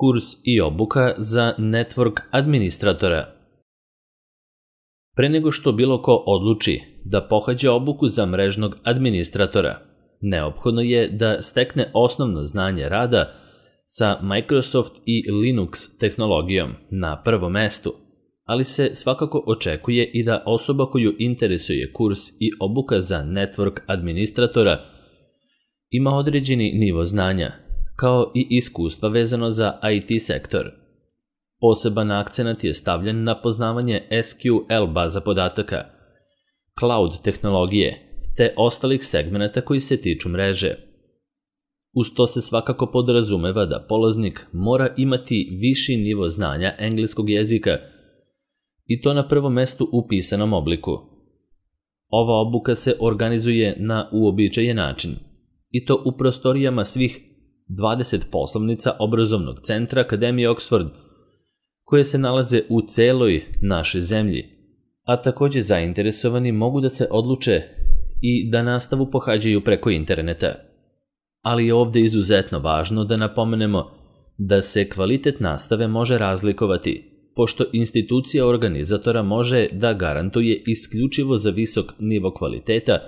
Kurs i obuka za network administratora. Pre nego što bilo ko odluči da pohađa obuku za mrežnog administratora, neophodno je da stekne osnovno znanje rada sa Microsoft i Linux tehnologijom na prvom mestu, ali se svakako očekuje i da osoba koju interesuje kurs i obuka za network administratora ima određeni nivo znanja, kao i iskustva vezano za IT sektor. Poseban akcenat je stavljen na poznavanje SQL baza podataka, cloud tehnologije, te ostalih segmenata koji se tiču mreže. Uz to se svakako podrazumeva da polaznik mora imati viši nivo znanja engleskog jezika i to na prvom mestu u pisanom obliku. Ova obuka se organizuje na uobičajen način, i to u prostorijama svih 20 poslovnica obrazovnog centra Akademije Oxford, koje se nalaze u celoj našoj zemlji, a takođe zainteresovani mogu da se odluče i da nastavu pohađaju preko interneta. Ali je ovde izuzetno važno da napomenemo da se kvalitet nastave može razlikovati, pošto institucija organizatora može da garantuje isključivo za visok nivo kvaliteta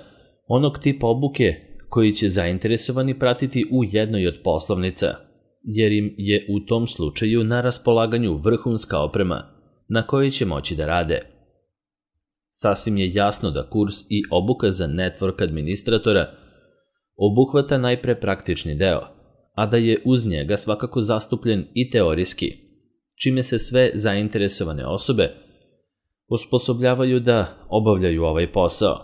onog tipa obuke koji će zainteresovani pratiti u jednoj od poslovnica, jer im je u tom slučaju na raspolaganju vrhunska oprema na kojoj će moći da rade. Sasvim je jasno da kurs i obuka za network administratora obuhvata najpre praktični deo, a da je uz njega svakako zastupljen i teorijski, čime se sve zainteresovane osobe osposobljavaju da obavljaju ovaj posao.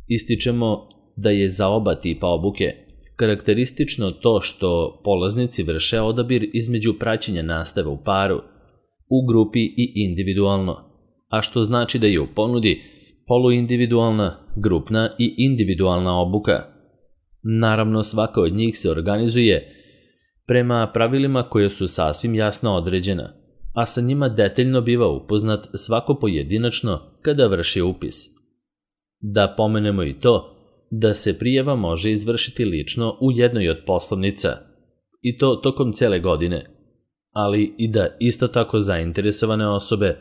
Ističemo da je za oba tipa obuke karakteristično to što polaznici vrše odabir između praćenja nastave u paru, u grupi i individualno, a što znači da je u ponudi poluindividualna, grupna i individualna obuka. Naravno, svaka od njih se organizuje prema pravilima koje su sasvim jasno određena, a sa njima detaljno biva upoznat svako pojedinačno kada vrši upis. Da pomenemo i to da se prijava može izvršiti lično u jednoj od poslovnica, i to tokom cele godine, ali i da isto tako zainteresovane osobe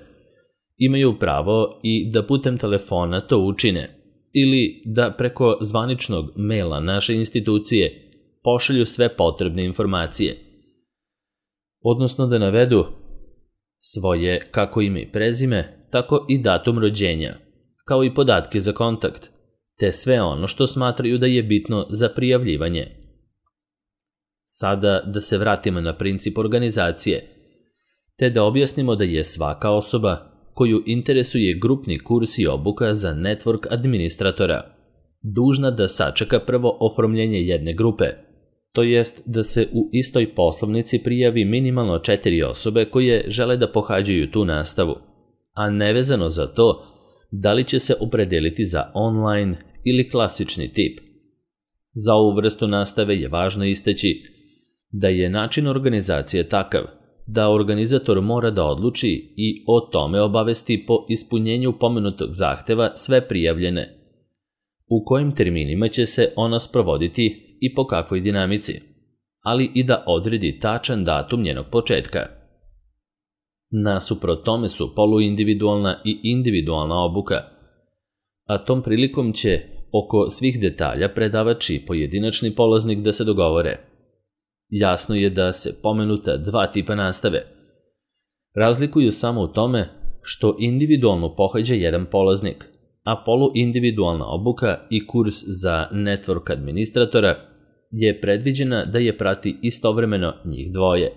imaju pravo i da putem telefona to učine, ili da preko zvaničnog maila naše institucije pošalju sve potrebne informacije, odnosno da navedu svoje kako ime i prezime, tako i datum rođenja, kao i podatke za kontakt, te sve ono što smatraju da je bitno za prijavljivanje. Sada da se vratimo na princip organizacije, te da objasnimo da je svaka osoba koju interesuje grupni kurs i obuka za network administratora dužna da sačeka prvo oformljenje jedne grupe, to jest da se u istoj poslovnici prijavi minimalno 4 osobe koje žele da pohađaju tu nastavu, a nevezano za to da li će se opredeliti za online ili klasični tip. Za ovu vrstu nastave je važno istaći da je način organizacije takav da organizator mora da odluči i o tome obavesti po ispunjenju pomenutog zahteva sve prijavljene, u kojim terminima će se ona sprovoditi i po kakvoj dinamici, ali i da odredi tačan datum njenog početka. Nasuprot tome su poluindividualna i individualna obuka, a tom prilikom će oko svih detalja predavač i pojedinačni polaznik da se dogovore. Jasno je da se pomenuta dva tipa nastave razlikuju samo u tome što individualno pohađa jedan polaznik, a poluindividualna obuka i kurs za network administratora je predviđena da je prati istovremeno njih dvoje.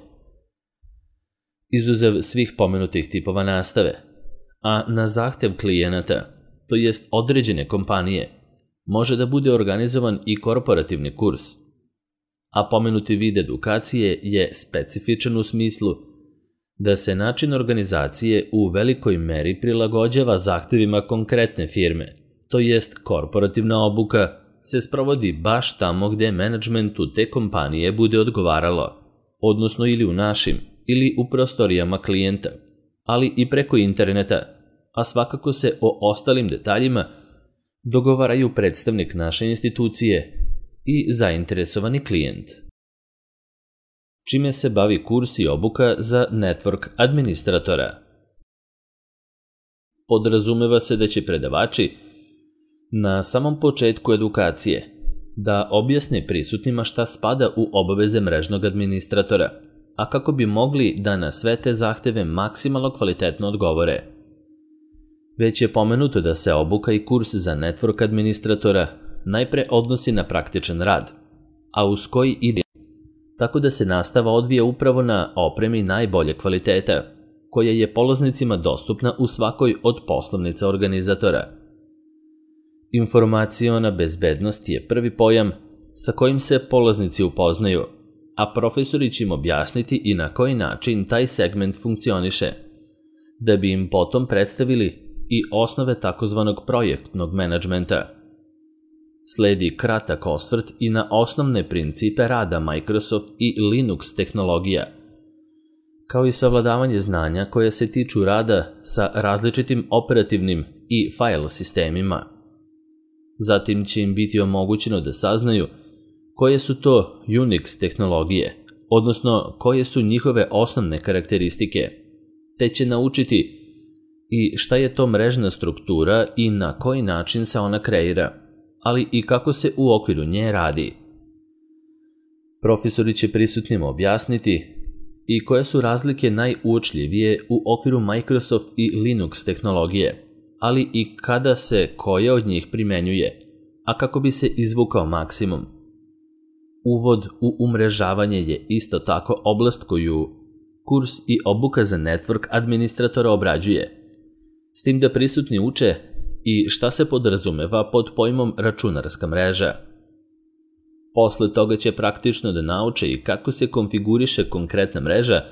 Izuzev svih pomenutih tipova nastave, a na zahtev klijenata, to jest određene kompanije, može da bude organizovan i korporativni kurs, a pomenuti vid edukacije je specifičan u smislu da se način organizacije u velikoj meri prilagođava zahtevima konkretne firme, to jest korporativna obuka se sprovodi baš tamo gde menadžmentu te kompanije bude odgovaralo, odnosno ili u našim ili u prostorijama klijenta, ali i preko interneta, a svakako se o ostalim detaljima dogovaraju predstavnik naše institucije i zainteresovani klijent. čime se bavi kurs i obuka za network administratora. Podrazumeva se da će predavači na samom početku edukacije da objasne prisutnima šta spada u obaveze mrežnog administratora, a kako bi mogli da na sve te zahteve maksimalno kvalitetno odgovore. Već je pomenuto da se obuka i kurs za network administratora najpre odnosi na praktičan rad, a uz koji ide, tako da se nastava odvija upravo na opremi najbolje kvaliteta, koja je polaznicima dostupna u svakoj od poslovnica organizatora. Informaciona bezbednost je prvi pojam sa kojim se polaznici upoznaju, a profesori će im objasniti i na koji način taj segment funkcioniše, da bi im potom predstavili i osnove takozvanog projektnog menadžmenta. Sledi kratak osvrt i na osnovne principe rada Microsoft i Linux tehnologija, kao i savladavanje znanja koje se tiču rada sa različitim operativnim i file sistemima. Zatim će im biti omogućeno da saznaju koje su to Unix tehnologije, odnosno koje su njihove osnovne karakteristike, te će naučiti i šta je to mrežna struktura i na koji način se ona kreira, ali i kako se u okviru nje radi. Profesori će prisutnima objasniti i koje su razlike najuočljivije u okviru Microsoft i Linux tehnologije, ali i kada se koja od njih primenjuje, a kako bi se izvukao maksimum. Uvod u umrežavanje je isto tako oblast koju kurs i obuka za network administratora obrađuje, s tim da prisutni uče i šta se podrazumeva pod pojmom računarska mreža. Posle toga će praktično da nauče i kako se konfiguriše konkretna mreža,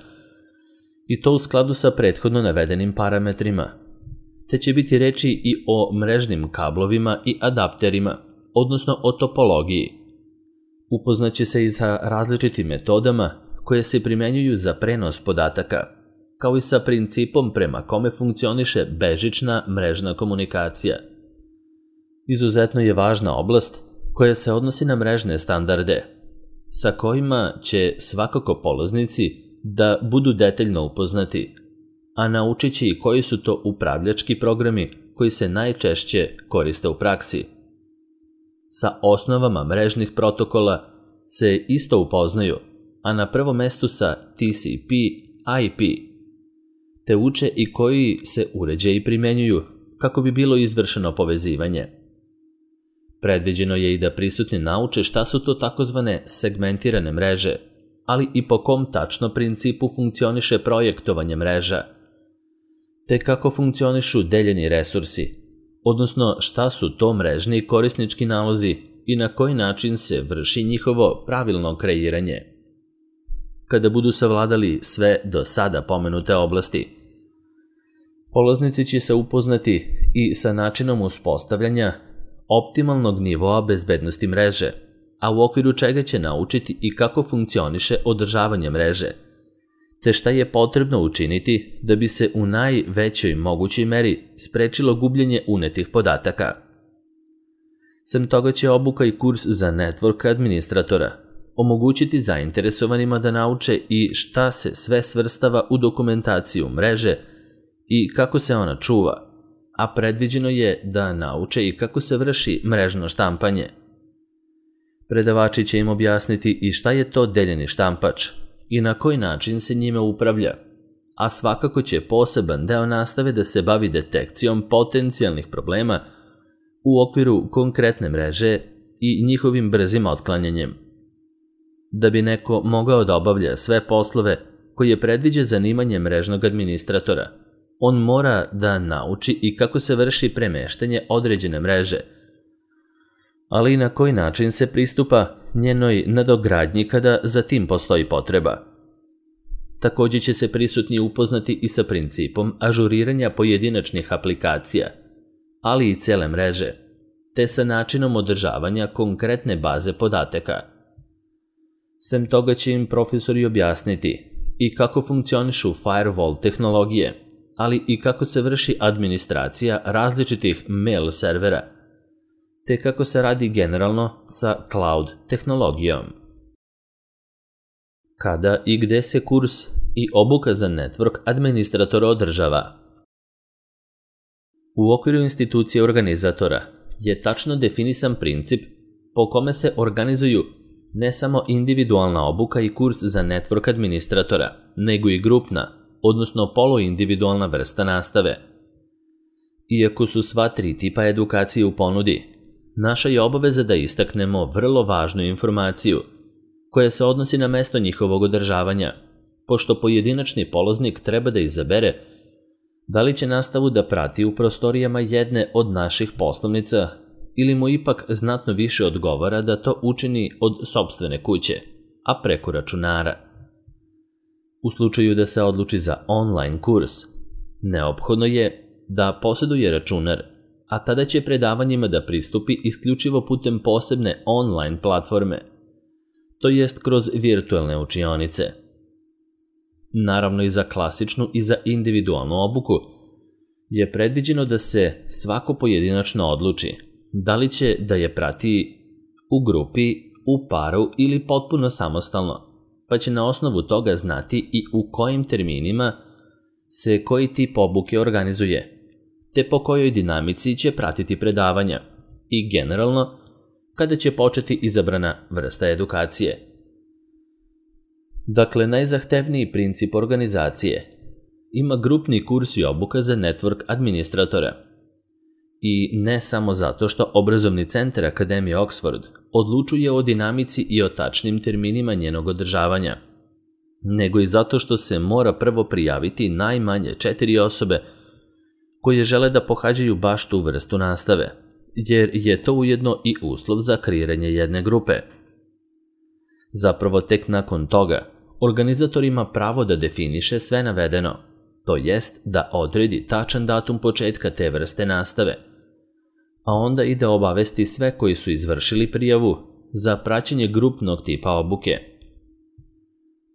i to u skladu sa prethodno navedenim parametrima, te će biti reči i o mrežnim kablovima i adapterima, odnosno o topologiji. Upoznaće se i sa različitim metodama koje se primenjuju za prenos podataka, kao i sa principom prema kome funkcioniše bežična mrežna komunikacija. Izuzetno je važna oblast koja se odnosi na mrežne standarde, sa kojima će svakako polaznici da budu detaljno upoznati, a naučit će i koji su to upravljački programi koji se najčešće koriste u praksi. Sa osnovama mrežnih protokola se isto upoznaju, a na prvom mestu sa TCP, IP, te uče i koji se uređaji primenjuju kako bi bilo izvršeno povezivanje. Predviđeno je i da prisutni nauče šta su to takozvane segmentirane mreže, ali i po kom tačno principu funkcioniše projektovanje mreža, te kako funkcionišu deljeni resursi, odnosno šta su to mrežni i korisnički nalozi i na koji način se vrši njihovo pravilno kreiranje. Kada budu savladali sve do sada pomenute oblasti, polaznici će se upoznati i sa načinom uspostavljanja optimalnog nivoa bezbednosti mreže, a u okviru čega će naučiti i kako funkcioniše održavanje mreže, te šta je potrebno učiniti da bi se u najvećoj mogućoj meri sprečilo gubljenje unetih podataka. Sem toga će obuka i kurs za network administratora omogućiti zainteresovanima da nauče i šta se sve svrstava u dokumentaciju mreže i kako se ona čuva, a predviđeno je da nauče i kako se vrši mrežno štampanje. Predavači će im objasniti i šta je to deljeni štampač i na koji način se njime upravlja, a svakako će poseban deo nastave da se bavi detekcijom potencijalnih problema u okviru konkretne mreže i njihovim brzim otklanjanjem. Da bi neko mogao da obavlja sve poslove koje predviđa zanimanje mrežnog administratora, on mora da nauči i kako se vrši premeštanje određene mreže, ali i na koji način se pristupa njenoj nadogradnji kada za tim postoji potreba. Također će se prisutni upoznati i sa principom ažuriranja pojedinačnih aplikacija, ali i cele mreže, te sa načinom održavanja konkretne baze podataka. Sem toga će im profesori objasniti i kako funkcionišu firewall tehnologije, ali i kako se vrši administracija različitih mail servera, te kako se radi generalno sa cloud tehnologijom. Kada i gde se kurs i obuka za network administratora održava? U okviru institucije organizatora je tačno definisan princip po kome se organizuju ne samo individualna obuka i kurs za network administratora, nego i grupna, odnosno poluindividualna vrsta nastave. Iako su sva tri tipa edukacije u ponudi, naša je obaveza da istaknemo vrlo važnu informaciju koja se odnosi na mesto njihovog održavanja, pošto pojedinačni polaznik treba da izabere da li će nastavu da prati u prostorijama jedne od naših poslovnica ili mu ipak znatno više odgovara da to učini od sopstvene kuće, a preko računara. U slučaju da se odluči za online kurs, neophodno je da posjeduje računar, a tada će predavanjima da pristupi isključivo putem posebne online platforme, to jest kroz virtualne učionice. Naravno i za klasičnu i za individualnu obuku je predviđeno da se svako pojedinačno odluči da li će da je prati u grupi, u paru ili potpuno samostalno, pa će na osnovu toga znati i u kojim terminima se koji tip obuke organizuje, te po kojoj dinamici će pratiti predavanja i generalno kada će početi izabrana vrsta edukacije. Dakle, najzahtevniji princip organizacije ima grupni kurs i obuka za network administratora. I ne samo zato što obrazovni centar Akademije Oxford odlučuje o dinamici i o tačnim terminima njenog održavanja, nego i zato što se mora prvo prijaviti najmanje 4 osobe koje žele da pohađaju baš tu vrstu nastave, jer je to ujedno i uslov za kreiranje jedne grupe. Zapravo tek nakon toga organizator ima pravo da definiše sve navedeno, to jest da odredi tačan datum početka te vrste nastave, a onda i da obavesti sve koji su izvršili prijavu za praćenje grupnog tipa obuke.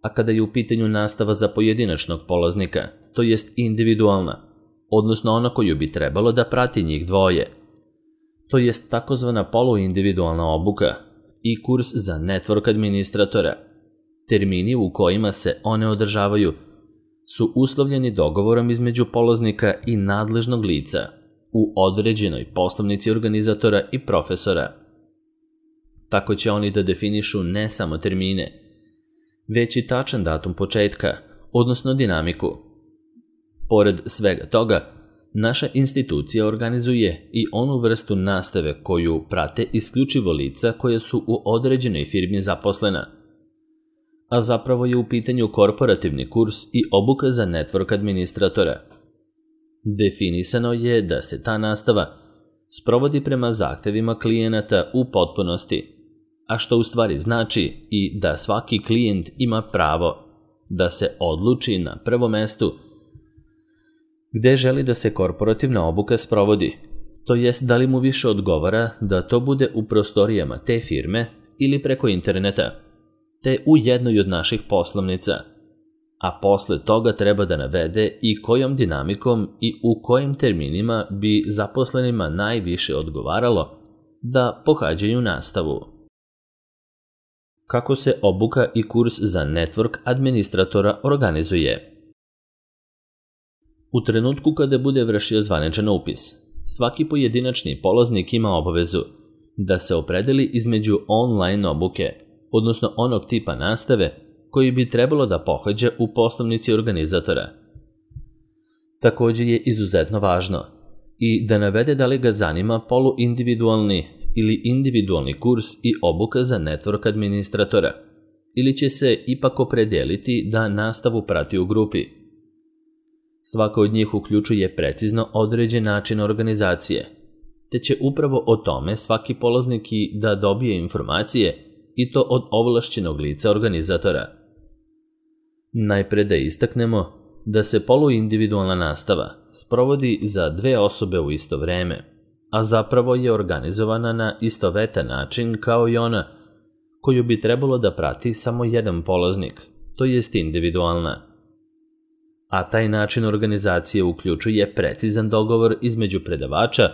A kada je u pitanju nastava za pojedinačnog polaznika, to jest individualna, odnosno ona koju bi trebalo da prati njih dvoje, to jest takozvana poluindividualna obuka i kurs za network administratora, termini u kojima se one održavaju su uslovljeni dogovorom između polaznika i nadležnog lica u određenoj poslovnici organizatora i profesora. Tako će oni da definišu ne samo termine, već i tačan datum početka, odnosno dinamiku. Pored svega toga, naša institucija organizuje i onu vrstu nastave koju prate isključivo lica koja su u određenoj firmi zaposlena, a zapravo je u pitanju korporativni kurs i obuka za network administratora. Definisano je da se ta nastava sprovodi prema zahtevima klijenata u potpunosti, a što u stvari znači i da svaki klijent ima pravo da se odluči na prvom mestu gde želi da se korporativna obuka sprovodi, to jest da li mu više odgovara da to bude u prostorijama te firme ili preko interneta, te u jednoj od naših poslovnica, a posle toga treba da navede i kojom dinamikom i u kojim terminima bi zaposlenima najviše odgovaralo da pohađaju nastavu. Kako se obuka i kurs za network administratora organizuje? U trenutku kada bude vršio zvaničan upis, svaki pojedinačni polaznik ima obavezu da se opredeli između online obuke, odnosno onog tipa nastave koji bi trebalo da pohađa u poslovnici organizatora. Također je izuzetno važno i da navede da li ga zanima poluindividualni ili individualni kurs i obuka za network administratora, ili će se ipak opredeliti da nastavu prati u grupi. Svaka od njih uključuje precizno određen način organizacije, te će upravo o tome svaki polaznik i da dobije informacije i to od ovlašćenog lica organizatora. Najpre da istaknemo da se poluindividualna nastava sprovodi za 2 osobe u isto vreme, a zapravo je organizovana na istovetan način kao i ona koju bi trebalo da prati samo jedan polaznik, to jest individualna. A taj način organizacije uključuje precizan dogovor između predavača,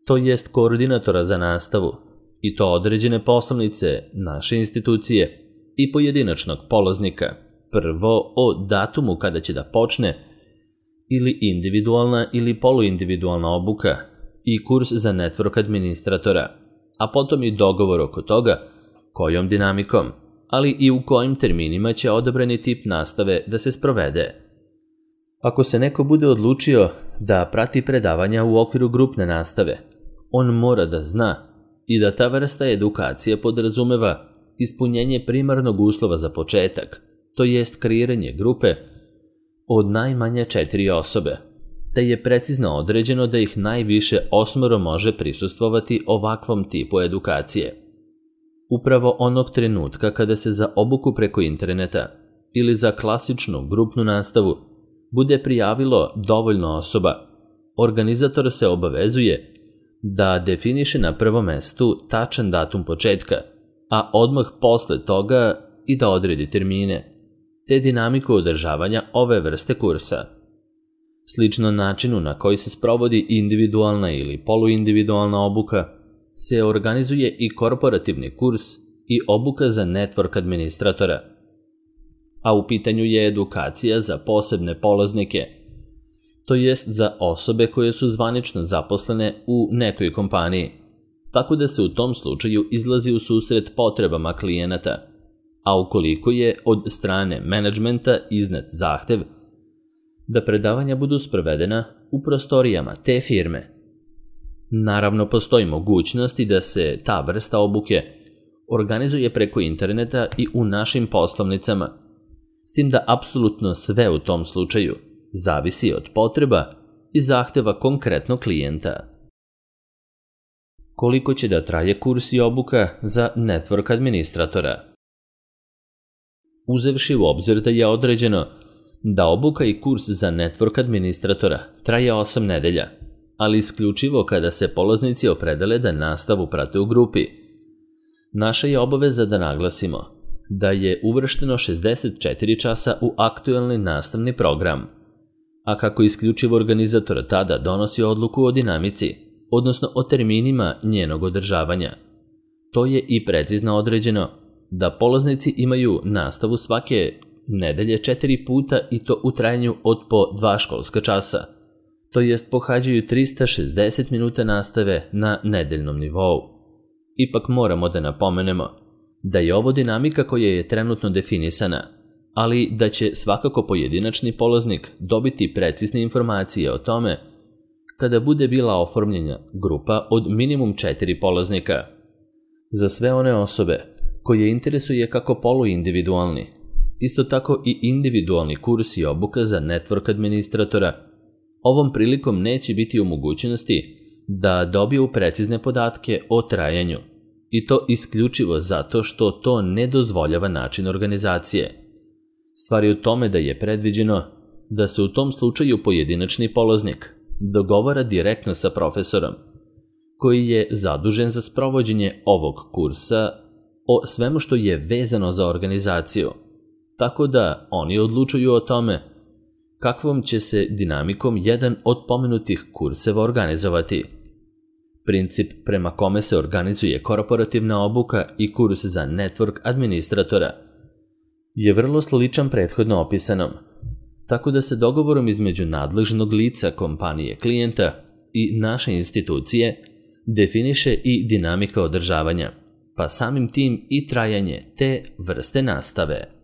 to jest koordinatora za nastavu, i to određene poslovnice naše institucije, i pojedinačnog polaznika, prvo o datumu kada će da počne, ili individualna ili poluindividualna obuka i kurs za network administratora, a potom i dogovor oko toga kojom dinamikom, ali i u kojim terminima će odabrani tip nastave da se sprovede. Ako se neko bude odlučio da prati predavanja u okviru grupne nastave, on mora da zna i da ta vrsta edukacije podrazumeva ispunjenje primarnog uslova za početak, to jest kreiranje grupe od najmanje 4 osobe, te je precizno određeno da ih najviše 8 može prisustvovati ovakvom tipu edukacije. Upravo onog trenutka kada se za obuku preko interneta ili za klasičnu grupnu nastavu bude prijavilo dovoljno osoba, organizator se obavezuje da definiše na prvom mestu tačan datum početka, a odmah posle toga i da odredi termine, te dinamiku održavanja ove vrste kursa. Slično načinu na koji se sprovodi individualna ili poluindividualna obuka, se organizuje i korporativni kurs i obuka za network administratora, a u pitanju je edukacija za posebne polaznike, to jest za osobe koje su zvanično zaposlene u nekoj kompaniji, tako da se u tom slučaju izlazi u susret potrebama klijenata, a ukoliko je od strane menadžmenta iznet zahtev da predavanja budu sprovedena u prostorijama te firme. Naravno, postoji mogućnost i da se ta vrsta obuke organizuje preko interneta i u našim poslovnicama, s tim da apsolutno sve u tom slučaju zavisi od potreba i zahteva konkretnog klijenta. Koliko će da traje kurs i obuka za network administratora? Uzevši u obzir da je određeno da obuka i kurs za network administratora traje 8 nedelja, ali isključivo kada se polaznici opredele da nastavu prate u grupi, naša je obaveza da naglasimo da je uvršteno 64 časa u aktuelni nastavni program, a kako isključivo organizator tada donosi odluku o dinamici, odnosno o terminima njenog održavanja. To je i precizno određeno da polaznici imaju nastavu svake nedelje 4 puta i to u trajanju od po 2 školska časa, to jest pohađaju 360 minuta nastave na nedeljnom nivou. Ipak moramo da napomenemo da je ovo dinamika koja je trenutno definisana, ali da će svakako pojedinačni polaznik dobiti precizne informacije o tome kada bude bila oformljena grupa od minimum 4 polaznika. Za sve one osobe koje interesuje kako poluindividualni, isto tako i individualni kurs i obuka za network administratora, ovom prilikom neće biti u mogućnosti da dobiju precizne podatke o trajanju, i to isključivo zato što to ne dozvoljava način organizacije. Stvar je u tome da je predviđeno da se u tom slučaju pojedinačni polaznik dogovara direktno sa profesorom, koji je zadužen za sprovođenje ovog kursa o svemu što je vezano za organizaciju, tako da oni odlučuju o tome kakvom će se dinamikom jedan od pomenutih kurseva organizovati. Princip prema kome se organizuje korporativna obuka i kurs za network administratora je vrlo sličan prethodno opisanom, tako da se dogovorom između nadležnog lica kompanije klijenta i naše institucije definiše i dinamika održavanja, pa samim tim i trajanje te vrste nastave.